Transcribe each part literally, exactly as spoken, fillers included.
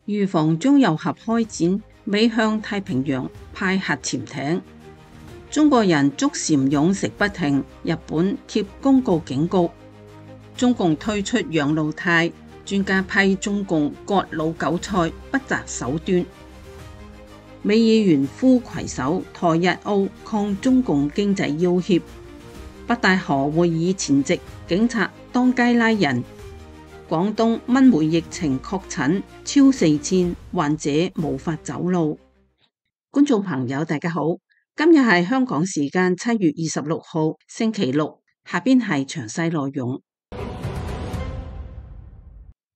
預防中右合開展，美向太平洋派核潛艇。中國人捉蟬勇食不停，日本貼公告警告。中共推出養老貸，專家批中共割老韭菜不擇手段。美議員呼攜手台日澳抗中共經濟要挾。北戴河會議前夕，警察當街拉人。廣東蚊媒疫情確診超四千，患者無法走路。觀眾朋友大家好，今日係香港時間七月二十六號星期六，下邊係詳細內容。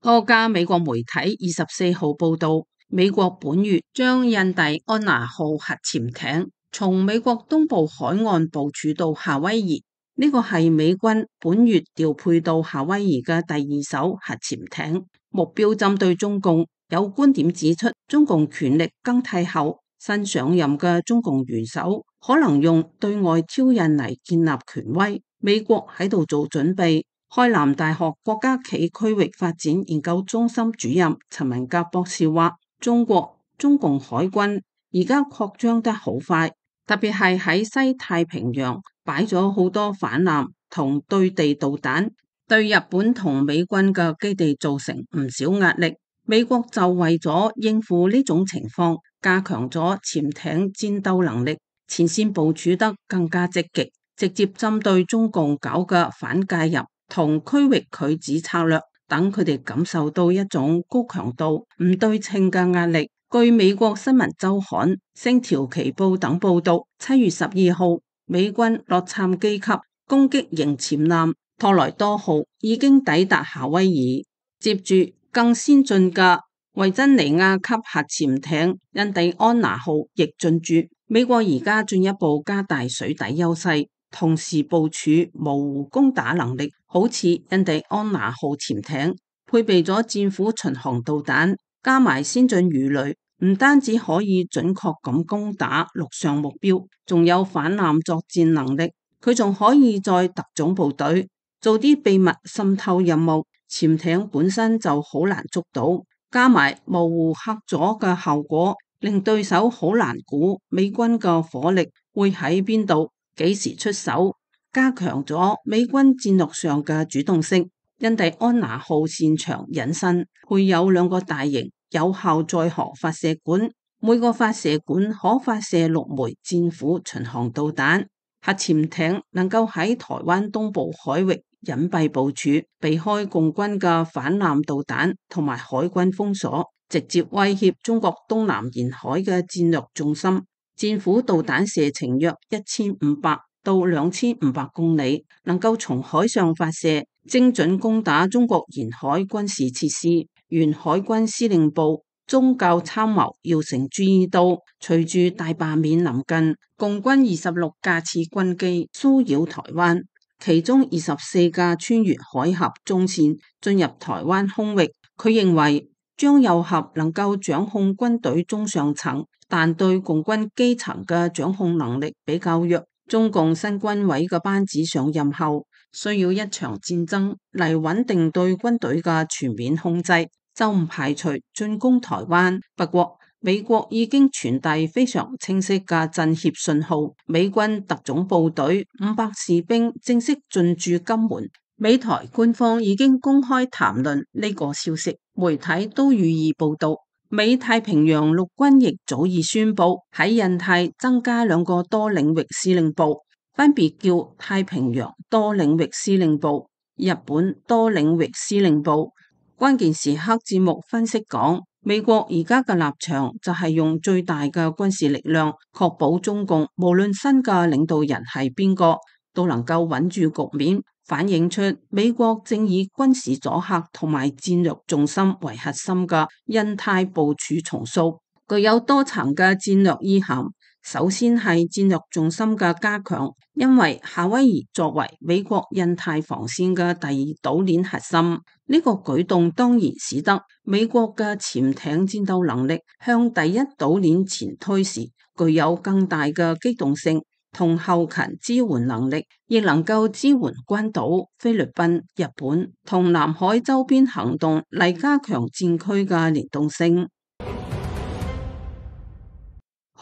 多家美國媒體二十四號報道，美國本月將印第安納號核潛艇從美國東部海岸部署到夏威夷，呢個係美軍本月調配到夏威夷嘅第二艘核潛艇，目標針對中共。有觀點指出，中共權力更替後，新上任嘅中共元首可能用對外挑釁嚟建立權威。美國喺度做準備。開南大學國家暨區域發展研究中心主任陳文革博士話，中國中共海軍而家擴張得好快，特別係喺西太平洋擺咗好多反艦同對地導彈，對日本同美軍嘅基地造成唔少壓力。美國就為咗應付呢種情況，加強咗潛艇戰鬥能力，前線部署得更加積極，直接針對中共搞嘅反介入同區域拒止策略，等佢哋感受到一種高強度唔對稱嘅壓力。據美國新聞週刊、星條旗報等報道，七月十二號，美軍洛杉磯級攻擊型潛艦托萊多號已經抵達夏威夷，接住更先進嘅維珍尼亞級核潛艇印第安納號亦進駐。美國而家進一步加大水底優勢，同時部署模糊攻打能力，好似印第安納號潛艇配備咗戰斧巡航導彈，加埋先進魚雷，唔單止可以準確咁攻打陸上目標，仲有反艦作戰能力。佢仲可以在特種部隊做啲秘密滲透任務，潛艇本身就好難捉到，加埋模糊黑咗嘅效果，令對手好難估美軍嘅火力會喺邊度，幾時出手，加強咗美軍戰略上嘅主動性。印第安納號擅長隱身，配有兩個大型有效載荷發射管，每個發射管可發射六枚戰斧巡航導彈。核潛艇能夠喺台灣東部海域隱蔽部署，避開共軍嘅反艦導彈同埋海軍封鎖，直接威脅中國東南沿海嘅戰略重心。戰斧導彈射程約一千五百到兩千五百公里，能夠從海上發射，精準攻打中國沿海軍事設施。原海軍司令部宗教參謀姚成注意到，隨住大罷免臨近，共軍二十六架次軍機騷擾台灣，其中二十四架穿越海峽中線進入台灣空域。佢認為張又俠能夠掌控軍隊中上層，但對共軍基層嘅掌控能力比較弱。中共新軍委嘅班子上任後，需要一場戰爭嚟穩定對軍隊嘅全面控制，就唔排除進攻台灣。不過美國已經傳遞非常清晰嘅震懾信號，美軍特種部隊五百士兵正式進駐金門。美台官方已經公開談論呢個消息，媒體都予以報道。美太平洋陸軍亦早已宣布喺印太增加兩個多領域司令部，分別叫太平洋多領域司令部、日本多領域司令部。關鍵時刻節目分析講，美國而家嘅立場就係用最大嘅軍事力量，確保中共無論新嘅領導人係邊個，都能夠穩住局面，反映出美國正以軍事阻嚇同埋戰略重心為核心嘅印太部署重塑，具有多層嘅戰略意涵。首先係戰略重心嘅加強，因為夏威夷作為美國印太防線嘅第二島鏈核心，呢、這個舉動當然使得美國嘅潛艇戰鬥能力向第一島鏈前推時，具有更大嘅機動性同後勤支援能力，亦能夠支援關島、菲律賓、日本同南海周邊行動嚟加強戰區嘅聯動性。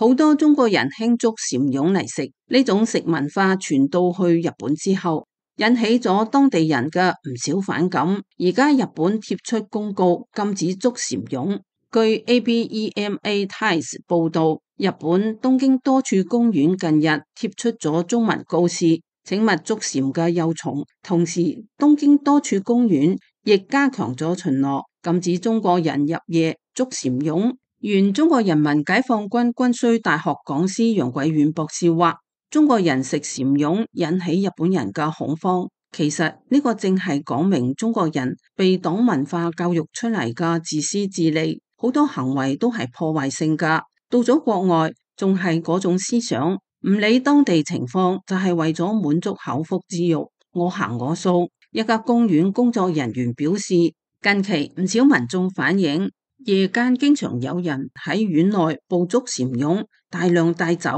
好多中國人慶祝蟬蛹嚟食，呢種食文化傳到去日本之後，引起咗當地人嘅唔少反感。而家日本貼出公告禁止捉蟬蛹。據 A B E M A Times 報道，日本東京多處公園近日貼出咗中文告示，請勿捉蟬嘅幼蟲。同時，東京多處公園亦加強咗巡邏，禁止中國人入夜捉蟬蛹。原中國人民解放軍軍需大學講師楊貴遠博士話，中國人食蟬蛹引起日本人嘅恐慌。其實呢個正係講明中國人被黨文化教育出嚟嘅自私自利，好多行為都係破壞性噶。到咗國外仲係嗰種思想，唔理當地情況，就係為咗滿足口腹之欲，我行我素。一家公園工作人員表示，近期唔少民眾反映，夜間經常有人喺園內捕捉蟬蛹，大量帶走。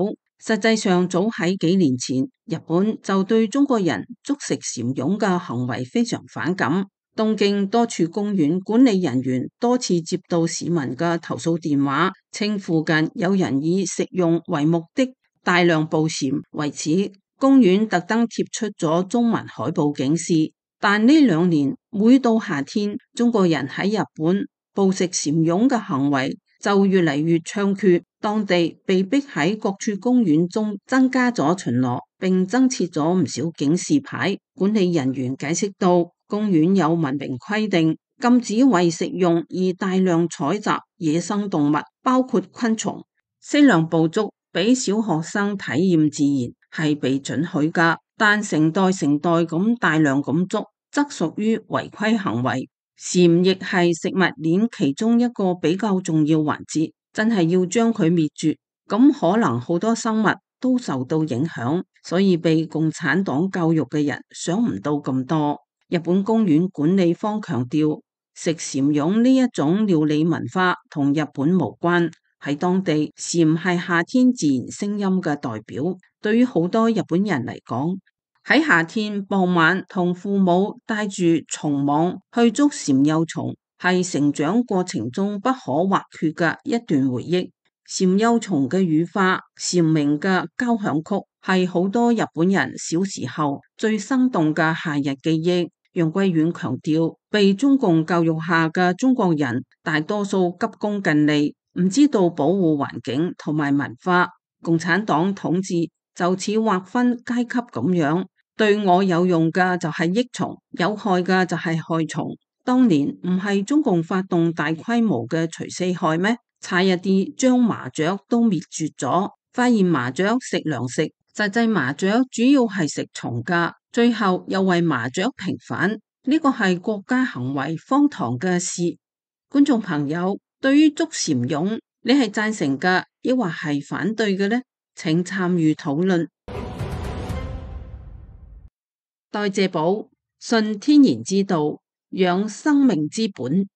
實際上，早喺幾年前，日本就對中國人捉食蟬蛹嘅行為非常反感。東京多處公園管理人員多次接到市民嘅投訴電話，稱附近有人以食用為目的大量捕蟬，為此公園特登貼出咗中文海報警示。但呢兩年每到夏天，中國人喺日本捕食蟬蛹嘅行為就越嚟越猖獗，當地被逼喺各處公園中增加咗巡邏，並增設咗唔少警示牌。管理人員解釋道，公園有文明規定，禁止為食用而大量採集野生動物，包括昆蟲。適量捕捉俾小學生體驗自然係被准許噶，但成袋成袋咁大量咁捉，則屬於違規行為。蟬亦係食物鏈其中一個比較重要環節，真係要將佢滅絕，咁可能好多生物都受到影響，所以被共產黨教育嘅人想唔到咁多。日本公園管理方強調，食蟬蛹呢一種料理文化同日本無關，喺當地蟬係夏天自然聲音嘅代表。對於好多日本人嚟講，喺夏天傍晚同父母帶住蟲網去捉蟬幼蟲，係成長過程中不可或缺嘅一段回憶。蟬幼蟲嘅羽化、蟬鳴嘅交響曲，係好多日本人小時候最生動嘅夏日記憶。楊貴遠強調，被中共教育下嘅中國人大多數急功近利，唔知道保護環境同埋文化。共產黨統治就似劃分階級咁樣，對我有用嘅就係益蟲，有害嘅就係害蟲。當年唔係中共發動大規模嘅除四害咩？差一啲將麻雀都滅絕咗，發現麻雀食糧食，實際麻雀主要係食蟲噶，最後又為麻雀平反，呢個係國家行為荒唐嘅事。觀眾朋友，對於捉蟬蛹，你係贊成嘅，抑或係反對嘅呢？請參與討論。代謝寶，信天然之道，養生命之本。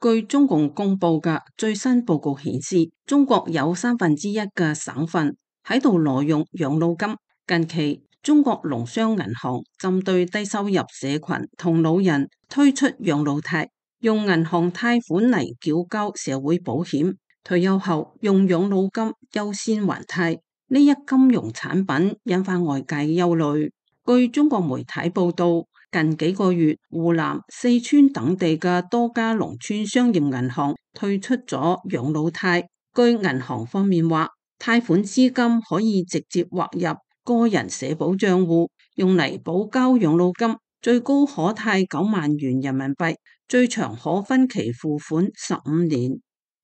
據中共公布嘅最新報告顯示，中國有三分之一嘅省份喺度挪用養老金。近期，中國農商銀行針對低收入社群同老人推出養老貸，用銀行貸款嚟繳交社會保險，退休後用養老金優先還貸。呢一金融產品引發外界嘅憂慮。據中國媒體報道，近幾個月，湖南、四川等地嘅多家農村商業銀行推出咗養老貸。據銀行方面話，貸款資金可以直接劃入個人社保賬戶，用嚟補交養老金，最高可貸九萬元人民幣，最長可分期付款十五年。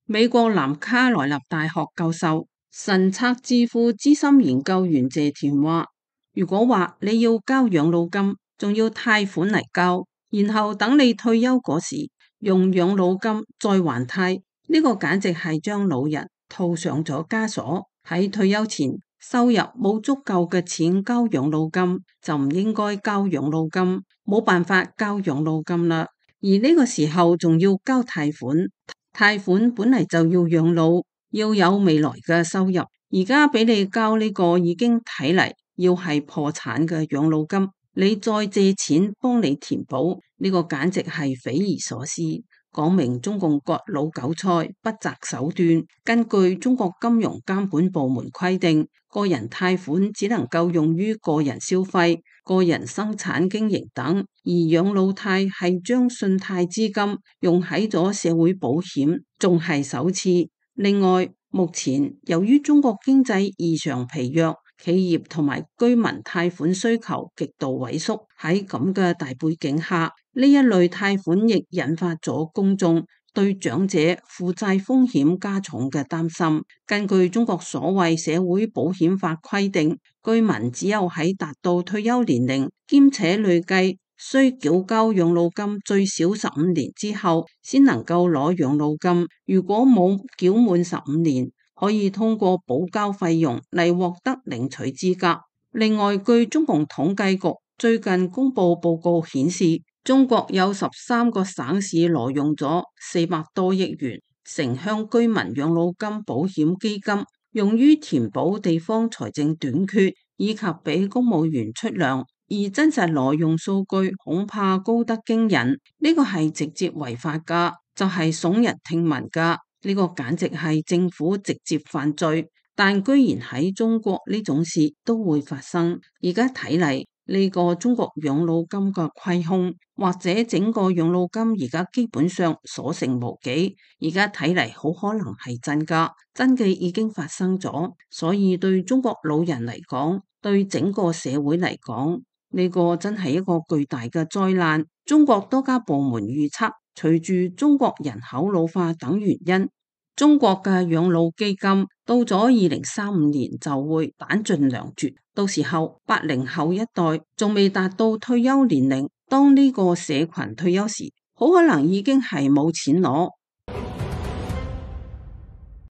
美國南卡羅來納大學教授、神策智庫資深研究員謝田話，如果話你要交養老金，仲要貸款嚟交，然後等你退休嗰時用養老金再還貸，呢個簡直係將老人套上咗枷鎖。喺退休前收入冇足夠嘅錢交養老金，就唔應該交養老金，冇辦法交養老金啦。而呢個時候仲要交貸款，貸款本嚟就要養老，要有未來嘅收入，而家俾你交呢個已經睇嚟要係破產嘅養老金，你再借錢幫你填補，呢個簡直係匪夷所思。講明中共割佬韭菜不擇手段。根據中國金融監管部門規定，個人貸款只能夠用於個人消費、個人生產經營等，而養老貸係將信貸資金用喺咗社會保險，仲係首次。另外，目前由於中國經濟異常疲弱，企業同埋居民貸款需求極度萎縮，喺咁嘅大背景下，呢一類貸款亦引發咗公眾對長者負債風險加重嘅擔心。根據中國所謂社會保險法規定，居民只有喺達到退休年齡，兼且累計需繳交養老金最少十五年之後，先能夠攞養老金。如果冇繳滿十五年，可以通過補交費用嚟獲得領取資格。另外，據中共統計局最近公布報告顯示，中國有十三個省市挪用咗四百多億元城鄉居民養老金保險基金，用於填補地方財政短缺以及俾公務員出糧。而真實挪用數據恐怕高得驚人，呢個係直接違法噶，就係聳人聽聞噶，呢個簡直係政府直接犯罪。但居然喺中國呢種事都會發生，而家睇嚟呢個中國養老金嘅虧空，或者整個養老金而家基本上所剩無幾，而家睇嚟好可能係真噶，真嘅已經發生咗。所以對中國老人嚟講，對整個社會嚟講，呢個真係一個巨大嘅災難。中國多家部門預測，隨住中國人口老化等原因，中國嘅養老基金到咗二零三五年就會彈盡糧絕。到時候八零後一代仲未達到退休年齡，當呢個社群退休時，好可能已經係冇錢攞。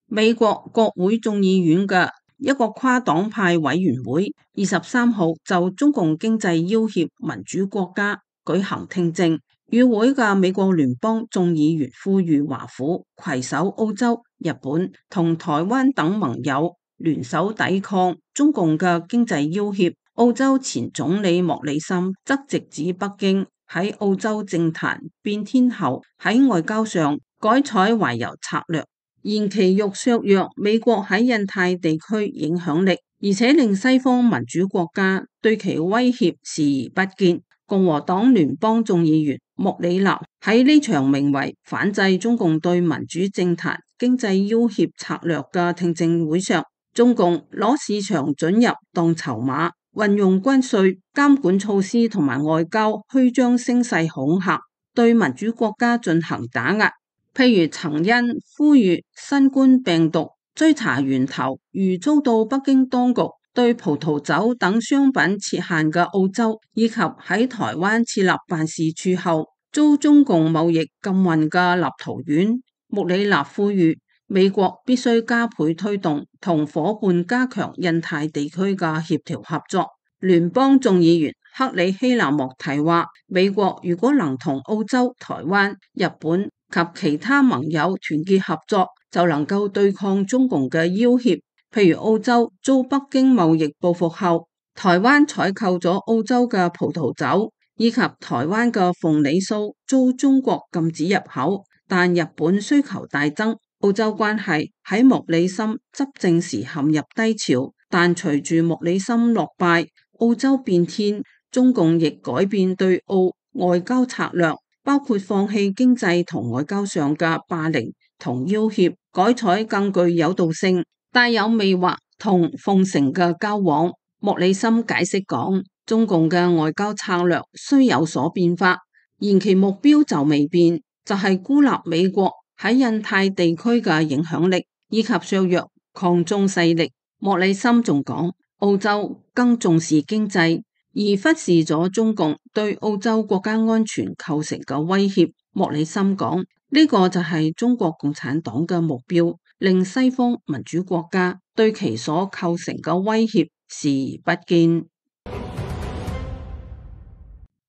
美國國會眾議院嘅一個跨黨派委員會二十三號就中共經濟要挾民主國家舉行聽證，與會嘅美國聯邦眾議員呼籲華府攜手澳洲、日本同台灣等盟友聯手抵抗中共嘅經濟要挾。澳洲前總理莫里森則直指北京喺澳洲政壇變天後喺外交上改採懷柔策略，延期欲削弱美國喺印太地區影響力，而且令西方民主國家對其威脅視而不見。共和黨聯邦眾議員莫里納喺呢場名為反制中共對民主政壇經濟要挾策略嘅聽證會上，中共攞市場准入當籌碼，運用關稅監管措施同埋外交虛張聲勢恐嚇，對民主國家進行打壓。譬如曾因呼籲新冠病毒追查源頭而遭到北京當局對葡萄酒等商品設限嘅澳洲，以及喺台灣設立辦事處後遭中共貿易禁運嘅立陶宛，穆里納呼籲美國必須加倍推動同伙伴加強印太地區嘅協調合作。聯邦眾議員克里希納莫提話，美國如果能同澳洲、台灣、日本及其他盟友團結合作，就能夠對抗中共嘅要挾。譬如澳洲遭北京貿易報復後，台灣採購咗澳洲嘅葡萄酒，以及台灣嘅鳳梨酥遭中國禁止入口。但日本需求大增，澳洲關係喺莫里森執政時陷入低潮，但隨住莫里森落敗，澳洲變天，中共亦改變對澳外交策略，包括放棄經濟同外交上嘅霸凌同要挾，改採更具誘導性、帶有魅惑同奉承嘅交往。莫里森解釋講，中共嘅外交策略雖有所變化，然其目標就未變，就係、是、孤立美國喺印太地區嘅影響力，以及削弱抗中勢力。莫里森仲講，澳洲更重視經濟，而忽視咗中共對澳洲國家安全構成嘅威脅。莫里森講，呢、這個就係中國共產黨嘅目標，令西方民主國家對其所構成嘅威脅視而不見。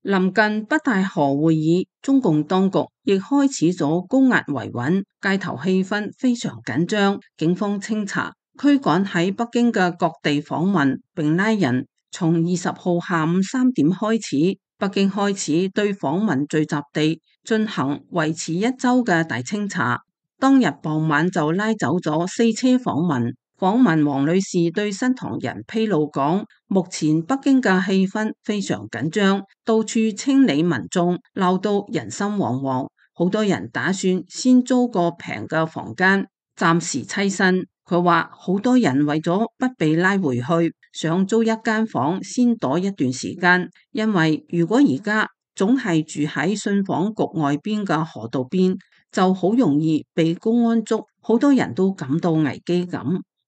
臨近北戴河會議，中共當局亦開始咗高壓維穩，街頭氣氛非常緊張，警方清查驅趕喺北京嘅各地訪問並拉人。從二十號下午三點開始，北京開始對訪民聚集地進行為期一周嘅大清查，當日傍晚就拉走咗四車訪民。訪問王女士對新唐人披露講，目前北京嘅氣氛非常緊張，到處清理民眾，鬧到人心惶惶，好多人打算先租個平嘅房間，暫時棲身。佢話好多人為咗不被拉回去，想租一間房先躲一段時間，因為如果而家總係住喺信訪局外邊嘅河道邊，就好容易被公安捉，好多人都感到危機感。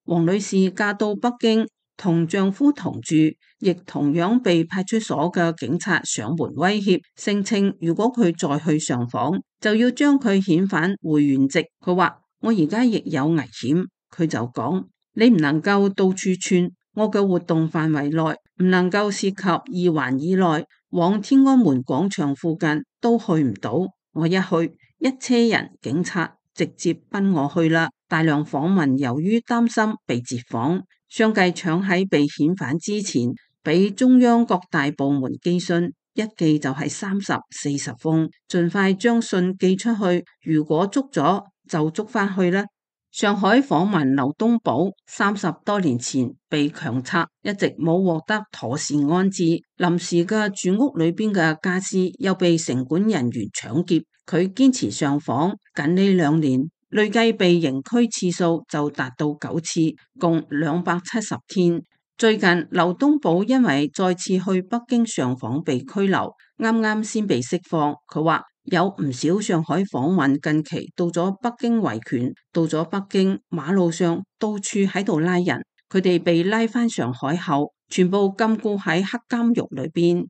王女士嫁到北京，同丈夫同住，亦同樣被派出所嘅警察上門威脅，聲稱如果佢再去上訪，就要將佢遣返回原籍。佢話我而家亦有危險，佢就講你唔能夠到處竄，我嘅活動範圍內唔能夠涉及二環以內，往天安門廣場附近都去唔到。我一去，一車人警察直接奔我去啦。大量訪民由於擔心被截訪，相繼搶喺被遣返之前，俾中央各大部門寄信，一寄就係三十四十封，盡快將信寄出去。如果捉咗就捉翻去啦。上海訪民劉東寶三十多年前被強拆，一直冇獲得妥善安置，臨時嘅住屋裏邊嘅家私又被城管人員搶劫，佢堅持上訪，近呢兩年累計被刑拘次數就達到九次，共兩百七十天。最近劉東寶因為再次去北京上訪被拘留，啱啱先被釋放。佢話有唔少上海訪民近期到咗北京維權，到咗北京馬路上到處喺度拉人，佢哋被拉返上海後，全部禁錮喺黑監獄裏邊。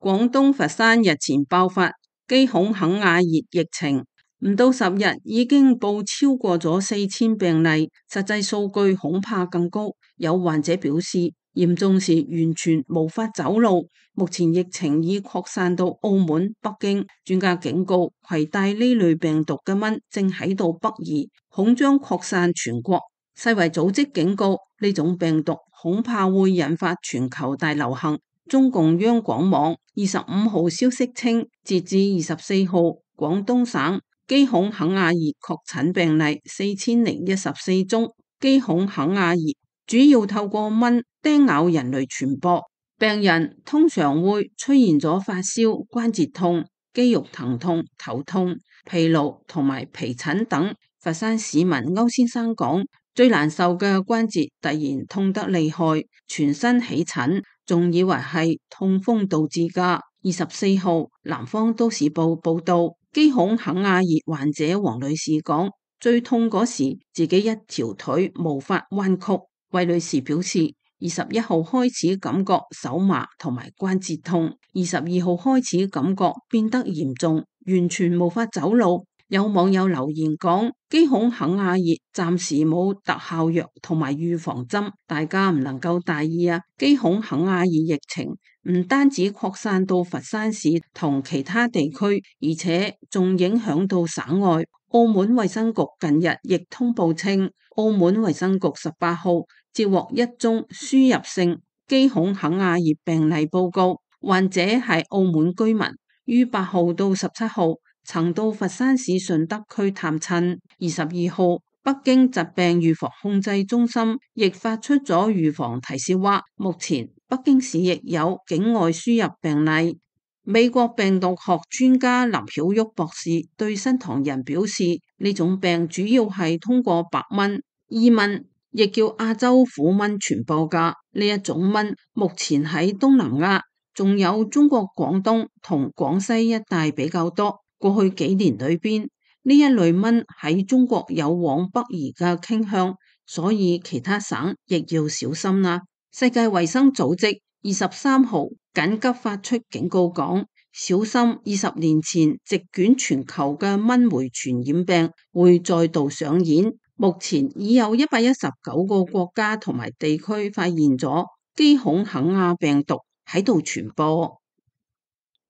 廣東佛山日前爆發基孔肯亞熱疫情，唔到十日已經報超過咗四千病例，實際數據恐怕更高。有患者表示，嚴重時完全無法走路。目前疫情已擴散到澳門、北京，專家警告，攜帶呢類病毒嘅蚊正喺度北移，恐將擴散全國。世衛組織警告，呢種病毒恐怕會引發全球大流行。中共央廣網二十五號消息稱，截至二十四號，廣東省基孔肯亞熱確診病例四千零一十四宗。基孔肯亞熱主要透過蚊叮咬人類傳播，病人通常會出現咗發燒、關節痛、肌肉疼痛、頭痛、疲勞同埋皮疹等。佛山市民歐先生講，最難受嘅關節突然痛得厲害，全身起疹，仲以為係痛風導致噶。二十四號，南方都市報報道，基孔肯亞熱患者王女士講，最痛嗰時自己一條腿無法彎曲。魏女士表示，二十一號開始感覺手麻同埋關節痛，二十二號開始感覺變得嚴重，完全無法走路。有網友留言講，基孔肯亞熱暫時冇特效藥同埋預防針，大家唔能夠大意啊！基孔肯亞熱疫情唔單止擴散到佛山市同其他地區，而且仲影響到省外。澳門衛生局近日亦通報稱，澳門衛生局十八號接獲一宗輸入性基孔肯亞熱病例報告，患者係澳門居民，於八號到十七號曾到佛山市順德區探親。二十二號，北京疾病預防控制中心亦發出咗預防提示，話目前北京市亦有境外輸入病例。美國病毒學專家林曉旭博士對新唐人表示，呢種病主要係通過白蚊、伊蚊，亦叫亞洲虎蚊傳播噶。呢一種蚊目前喺東南亞，仲有中國廣東同廣西一帶比較多。過去幾年裏邊，呢一類蚊喺中國有往北移嘅傾向，所以其他省亦要小心啦。世界衛生組織二十三號緊急發出警告，講小心二十年前席捲全球嘅蚊媒傳染病會再度上演。目前已有一百一十九個國家同埋地區發現咗基孔肯亞病毒喺度傳播。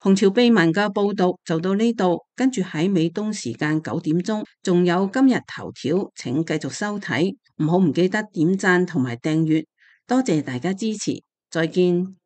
紅潮秘聞嘅報道就到呢度，跟住喺美東時間九點鐘仲有今日頭條，請繼續收睇，唔好唔記得點讚同埋訂閱，多謝大家支持，再見。